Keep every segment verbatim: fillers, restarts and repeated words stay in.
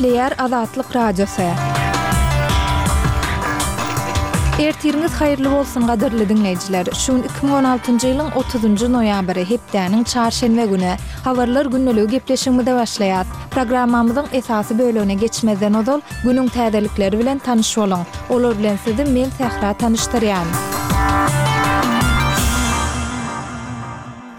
Gepleýär Azatlyk Radiosy. Ertiriňiz haýyrly bolsun gadyrly diňleýjiler. Şu gün iki müň on altynjy ýylyň otuzynjy noýabry, hepdäniň çarşenbe güni. Habarlar gündeligi gepleşigimize başlaýas. Programmamyzyň esasy bölegine geçmezden ozal, günüň täzelikleri bilen tanyş boluň. Olar bilen sizi men Sähra tanyşdyrýan.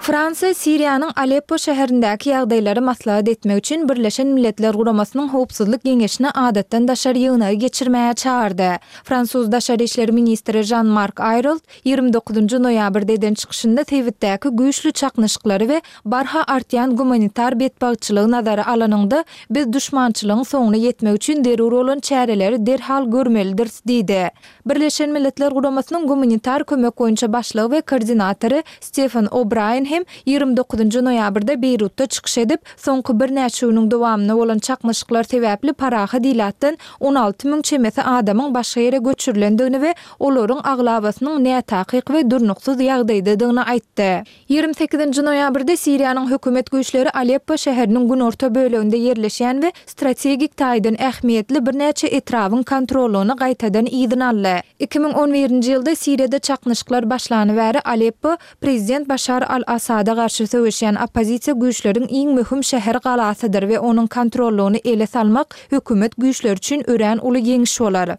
Fransiýa Siriýanyň Aleppo şäherindäki ýagdaýlary maslahat etmek üçin Birleşen Milletler Guramasynyň Howpsuzlyk Geňeşine adatdan daşary ýygnagy geçirmäge çagyrdy. Fransuz daşary işler ministri Žan-Mark Aýrolt ýigrimi dokuzynjy noýabrda eden çykyşynda sebitdäki güýçli çaknyşyklary we barha artýan gumanitar betbagtçylygy nazara alanyňda, biz duşmançylygyň soňuna ýetmek üçin zerur bolan çäreleri derhal görmelidiris diýdi. Birleşen Milletler Guramasynyň gumanitar kömek boýunça başlygy we koordinatory Stefan O'Braýen hem ýigrimi dokuzynjy noýabrda Beýrutda çykyş edip, soňky birnäçe günüň dowamynda bolan çaknyşyklar sebäpli parahat ilatdan on alty müň çemesi adamyň başga ýere göçürilendigini we olaryň aglabasynyň nätakyk we durnuksyz ýagdaýdadygyny aýtdy. Ýigrimi sekizinji noýabrda Siriýanyň hökümet güýçleri Aleppo şäheriniň günorta böleginde ýerleşýän we strategik taýdan ähmiýetli birnäçe etrabyň kontrollygyny gaýtadan yzyna aldy. Iki müň on birinji ýylda Siriýada çaknyşyklar başlany bäri Aleppo prezident Başar al-Assada garşy söweşýän oppozisiýa güýçleriň iň möhüm şäher galasydyr we onuň kontrollygyny ele salmak hökümet güýçleri üçin örän uly ýeňiş bolar.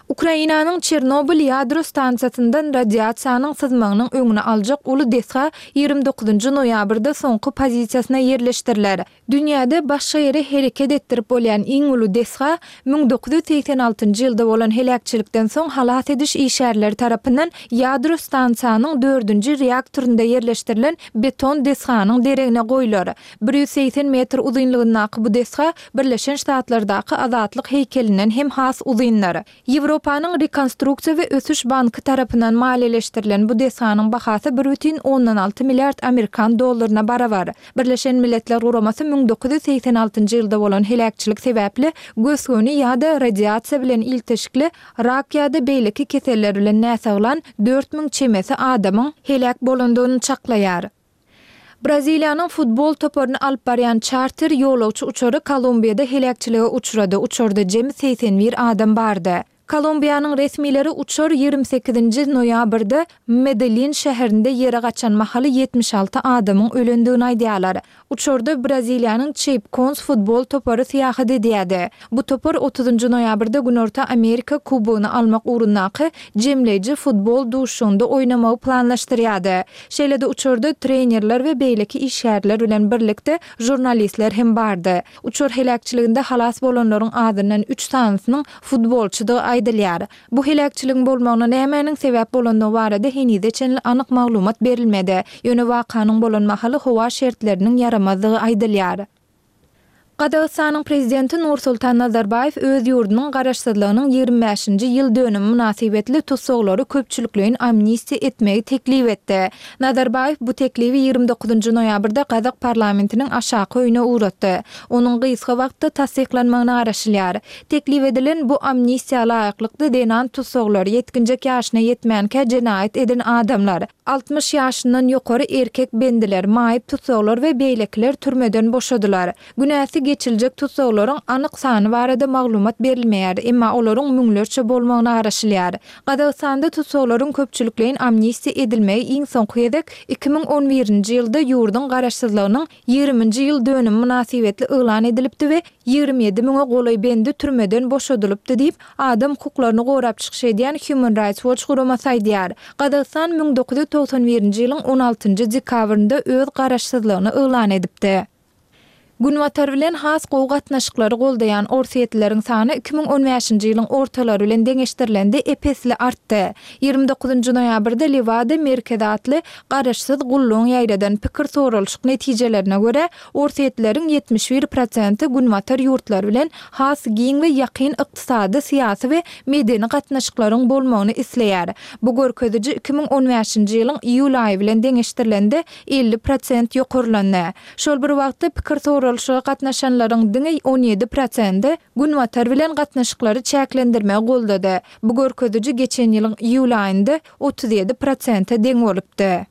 Ukrainanyň Çernobyl ýadro stansiýasyndan radiasiýanyň syzmagynyň öňüni aljak uly desga ýigrimi dokuzynjy noýabrda soňky pozisiýasyna ýerleşdiriler. Dünýäde başga ýere hereket etdirip bolýan iň uly desga müň dokuz ýüz segsen altynjy ýylda bolan heläkçilikden soň halas ediş işgärleri tarapyndan ýadro stansiýanyň dördünji reaktorynda ýerleşdirilen beton desganyň deregine goýlar. Bir ýüz segsen metr uzynlygyndaky bu desga Birleşen Ştatlardaky Azatlyk heýkelinden hem has uzyndyr. Ýewropanyň Rekonstruksiýa we ösüş banky tarapyndan maliýeleşdirilen bu desganyň bahasy bir bütin ondan alty milliard amerikan dollaryna barabar. Birleşen Milletler Guramasy müň dokuz ýüz segsen altynjy ýylda bolan heläkçilik sebäpli gös-göni ýa-da radiasiýa bilen ilteşikli rak ýa-da beýleki keseller bilen näsaglan dört müň çemesi adamyň heläk bolandygyny çaklaýar. Braziliýanyň futbol toparyny alyp barýan çarter ýolagçy uçary Kolumbiýada heläkçilige uçrady, uçarda jemi segsen bir adam bardy. Kolumbiýanyň resmileri uçar ýigrimi sekizinji noýabrda Medellin şäherinde ýere gaçan mahaly ýetmiş alty adamyň ölendigini aýdýarlar. Uçarda Braziliýanyň Çeýpkons futbol topary syýahat edýärdi. Bu topar otuzynjy noýabrda Günorta Amerika Kubogyny almak ugrundaky jemleýji futbol duşuşygynda oýnamagy planlaşdyrýardy. Şeýle-de uçarda trenerler we beýleki işgärler bilen birlikde žurnalistler hem bardy. Uçar heläkçiliginde halas bolanlaryň azyndan üç sanysynyň futbolçydygy aýdylýar. Bu heläkçiligiň bolmagyna nämäniň sebäp bolandygy barada henize çenli anyk maglumat berilmedi. Ýöne wakanyň bolan mahaly howa şertleriniň ýaramazdygy aýdylýar. Gazagystanyň prezidenti Nursultan Nazarbaýew öz ýurdunyň garaşsyzlygynyň ýigrimi bäşinji ýyl dönümi mynasybetli tussaglary köpçülikleýin amnistiýa etmegi teklip etdi. Nazarbaýew bu teklibi ýigrimi dokuzynjy noýabrda gazak parlamentiniň aşaky öýüne ugratdy. Onuň gysga wagtda tassyklanmagyna garaşylýar. Teklip edilen bu amnistiýa laýyklykda zenan tussaglar, ýetginjek ýaşyna ýetmänkä jenaýat eden adamlar, altmyş ýaşyndan ýokary erkek bendiler, maýyp tussaglar we beýlekiler türmeden boşadylar. Günäsi geçiljek tussaglaryň anyk sany barada maglumat berilmeýär, emma olaryň müňlerçe bolmagyna garaşylýar. Gazagystanda tussaglaryň köpçülikleýin amnistiýa edilmegi iň soňky gezek iki müň on birinji ýylda ýurduň garaşsyzlygynyň ýigriminji ýyl dönümi mynasybetli yglan edilipdi we ýigrimi ýedi müňe golaý bendi türmeden boşadylypdy diýip, adam hukuklaryny gorap çykyş edýän Human Rights Watch guramasy aýdýar. Gazagystan müň dokuz ýüz togsan birinji ýylyň on altynjy dekabrynda öz garaşsyzlygyny yglan edipdi. Günbatar bilen has gowy gatnaşyklary goldaýan orsýetlileriň sany iki müň on bäşinji ýylyň ortalary bilen deňeşdirilende ep-esli artdy. Ýigrimi dokuzynjy noýabrda Lewada merkezi atly garaşsyz gullugyň ýaýradan pikir soralyşyk netijelerine görä, orsýetlileriň ýetmiş bir prosenti Günbatar ýurtlary bilen has giň we ýakyn ykdysady, syýasy we medeni gatnaşyklaryň bolmagyny isleýär. Bu görkeziji iki müň on bäşinji ýylyň iýul aýy bilen deňeşdirilende elli prosent ýokarlandy. Şol bir wagtda pikir soralyşyga gatnaşanlaryň diňe on ýedi prosenti Günbatar bilen gatnaşyklary çäklendirmegi goldady. Bu görkeziji geçen ýylyň iýul aýynda otuz ýedi prosente deň bolupdy.